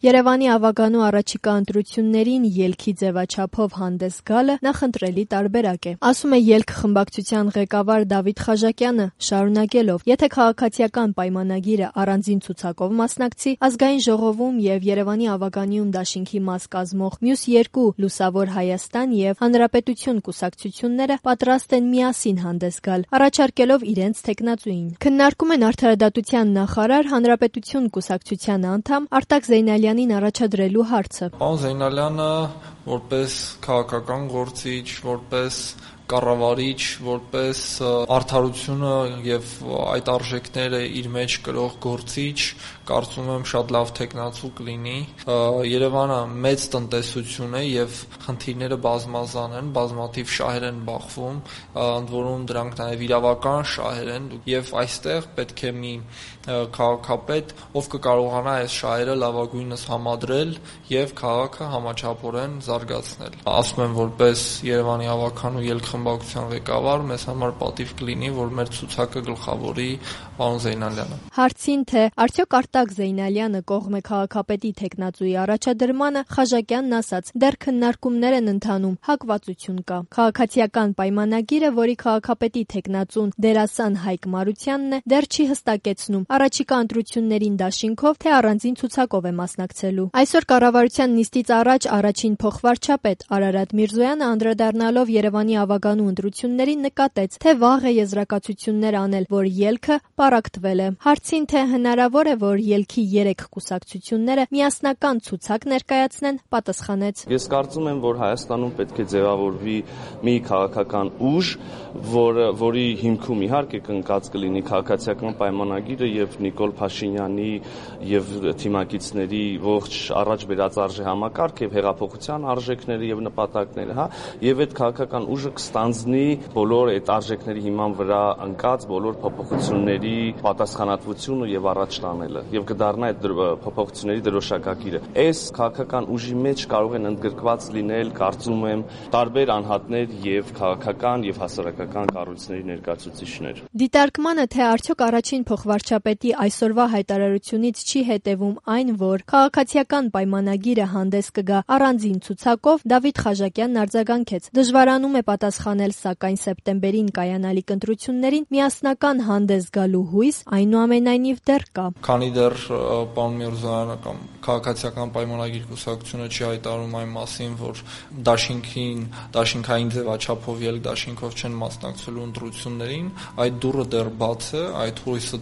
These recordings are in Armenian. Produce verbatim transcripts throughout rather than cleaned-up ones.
Երևանի ավագանու առաջիկա ընտրություններին ելքի ձևաչափով հանդես գալը նախընտրելի տարբերակ է, ասում է ելք խմբակցության ղեկավար Դավիթ Խաժակյանը, շարունակելով. եթե քաղաքացիական պայմանագիրը առանձին ցուցակով մասնակցի, ազգային ժողովում եւ Երևանի ավագանիում դաշինքի մաս կազմող մյուս երկու Լուսավոր Հայաստան եւ Հանրապետություն կուսակցությունները պատրաստ են միասին հանդես գալ, առաջարկելով իրենց թեկնածուին։ Քննարկում են արդարադատության նախարար, Հանրապետություն կուսակցության անդամ Արտակ Զեյնալյանին առաջադրելու հարցը։ Պարոն Զեյնալյանը որպես քաղաքական գործիչ, որպես կառավարիչ, որպես արդարությունը եւ այդ արժեքները իր մեջ կրող գործիչ, կարծում եմ շատ լավ թեկնածու կլինի։ Երևանը մեծ տնտեսություն է եւ խնդիրները բազմազան են, բազմաթիվ շահեր են բախվում, ընդ որում դրանք նաեւ իրավական շահեր են եւ այստեղ պետք է մի քաղաքապետ, ով կկարողանա այս շահերը լավագույնս համադրել եւ քաղաքը համաչափորեն զարգացնել։ Ասում եմ, որպես Երևանի ավագանու ելք խմբակցության ղեկավար, մեզ համար պատիվ կլինի, որ մեր ցուցակը գլխավորի պարոն Զեյնալյանը։ Հարցին, թե արդյոք Արտակ Զեյնալյանը կողմ է քաղաքապետի թեկնածուի առաջադրմանը, Խաժակյանն ասաց. դեռ քննարկումներ են ընթանում, հակվածություն կա։ Քաղաքացիական պայմանագիրը, որի քաղաքապետի թեկնածուն դերասան Հայկ Մարությանն է, դեռ չի հստակեցնում առաջիկա ընտրություններին դաշինքով, թե առանձին ցուցակով է մասնակցելու։ Այսօր կառավարության նիստից առաջ առաջին փոխվարչապետ Արարատ Միրզոյանը անդրադառնալով Երևանի ավագանու ընտրություններին նկատեց, թե վաղ է եզրակացություններ անել, որ ելքը պառակտվել է։ Հարցին, թե հնարավոր է, որ ելքի երեք կուսակցությունները միասնական ցուցակ ներկայացնեն, պատասխանեց. Ես կարծում եմ, որ Հայաստանում պետք է ձևավորվի մի քաղաքական ուժ, որը որի հիմքում իհարկե կնկած կլինի քաղաքացիական պայմանագիրը եւ Նիկոլ Փաշինյանի եւ թիմակիցների ողջ առաջ բերած արժե համակարգ եւ հեղափոխության արժեքները եւ նպատակները, հա, եւ այդ քաղաքական ուժը կստանձնի բոլոր այդ արժեքների հիման վրա ընկած բոլոր փոփոխությունների պատասխանատվությունը եւ առաջ տանելը եւ կդառնա այդ փոփոխությունների դրոշակակիրը։ Այս քաղաքական ուժի մեջ կարող են ընդգրկված լինել, կարծում եմ, տարբեր անհատներ եւ քաղաքական եւ հասարակական կառույցների ներկայացուցիչներ։ Դիտարկմանը, թե արդյոք առաջին փոխվարչապետի այսօրվա հայտարարությունից չի հետևում այն, որ քաղաքացիական պայմանագիրը հանդես կգա առանձին ցուցակով, Դավիթ Խաժակյանն արձագանքեց. դժվարանում է պատասխանել, սակայն սեպտեմբերին կայանալիք ընտրություններին միասնական հանդես գալու հույս այնուամենայնիվ դեռ կա։ Քանի դեռ պարոն Միրզոյանը կամ քաղաքացիական պայմանագիր կուսակցությունը չի հայտարարում այն մասին, որ դաշինքին, դաշինքային ձևաչափով ելք դաշինքով չեն մասնակցելու ընտրություններին, այդ դուռը դեռ բաց է, այդ հույսը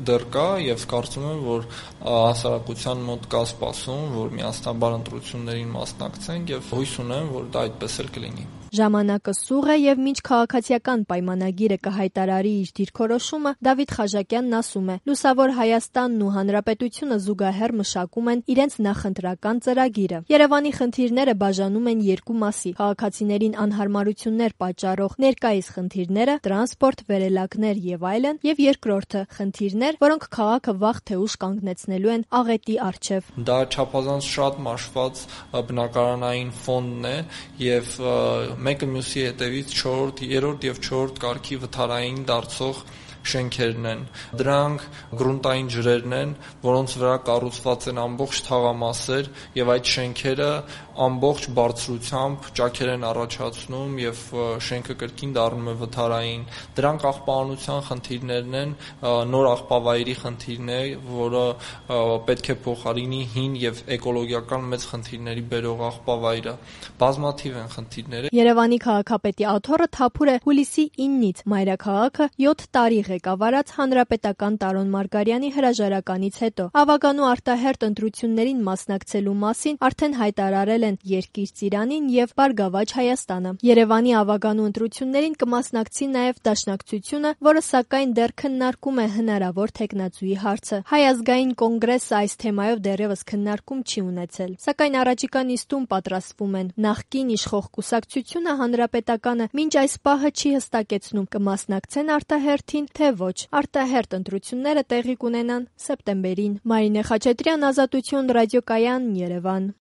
դեռ կա եւ կարծում եմ, որ հասարակության մոտ կա սպասում, որ միասնաբար ընտրություններին մասնակցենք եւ հույս ունեմ, որ դա այդպես էլ կլինի։ Ժամանակը սուղ է եւ մինչ քաղաքացիական պայմանագիրը կհայտարարի իր դիրքորոշումը, Դավիթ Խաժակյանն ասում է. Լուսավոր Հայաստանն ու Հանրապետությունը զուգահեռ մշակում են իրենց նախընտրական ծրագիրը։ Երևանի խնդիրները բաժանում են երկու մասի՝ քաղաքացիներին անհարմարություններ պատճառող ներկայիս խնդիրները, տրանսպորտ, վերելակներ եւ այլն, եւ երկրորդը՝ խնդիրներ, որոնք քաղաքը վաղ թե ուշ կանգնեցնելու են աղետի առջև։ Դա չափազանց շատ մաշված բնակարանային ֆոնդն է եւ մեկը մյուսի հետևից չորրորդ, երրորդ եւ չորրորդ կարգի վթարային դարձող շենքերն են։ Դրանք գրունտային ջրերն են, որոնց վրա կառուցված են ամբողջ թաղամասեր եւ այդ շենքերը ամբողջ բարձրությամբ ճաքեր են առաջացնում եւ շենքը կրկին դառնում է վթարային։ Դրանք աղբահանության խնդիրներն են, նոր աղբավայրի խնդիրն է, որը պետք է փոխարինի հին եւ էկոլոգիական մեծ խնդիրների բերող աղբավայրը։ Բազմաթիվ են խնդիրները։ Երևանի քաղաքապետի աթոռը թափուր է հուլիսի իննից մայրաքաղաքը յոթ տարի ղեկավարած հանրապետական Տարոն Մարգարյանի հրաժարականից հետո։ Ավագանու արտահերթ ընտրություններին մասնակցելու մասին արդեն հայտարարել են Երկիր Ծիրանին եւ Բարգավաճ Հայաստանը։ Երևանի ավագանու ընտրություններին կմասնակցի նաեւ Դաշնակցությունը, որը սակայն դեռ քննարկում է հնարավոր թեկնածուի հարցը։ Հայ ազգային կոնգրեսը այս թեմայով դեռևս քննարկում չի ունեցել, սակայն առաջիկա նիստում պատրաստվում են։ Նախկին իշխող կուսակցությունը Հանրապետականը մինչ այս պահը չի հստակեցնում կմասնակցեն արտահերթին, թե ոչ։ Արտահերթ ընտրությունները տեղի կունենան սեպտեմբերին։ Մարինե Խաչատրյան, Ազատություն, ռադիոկայան, Երևան։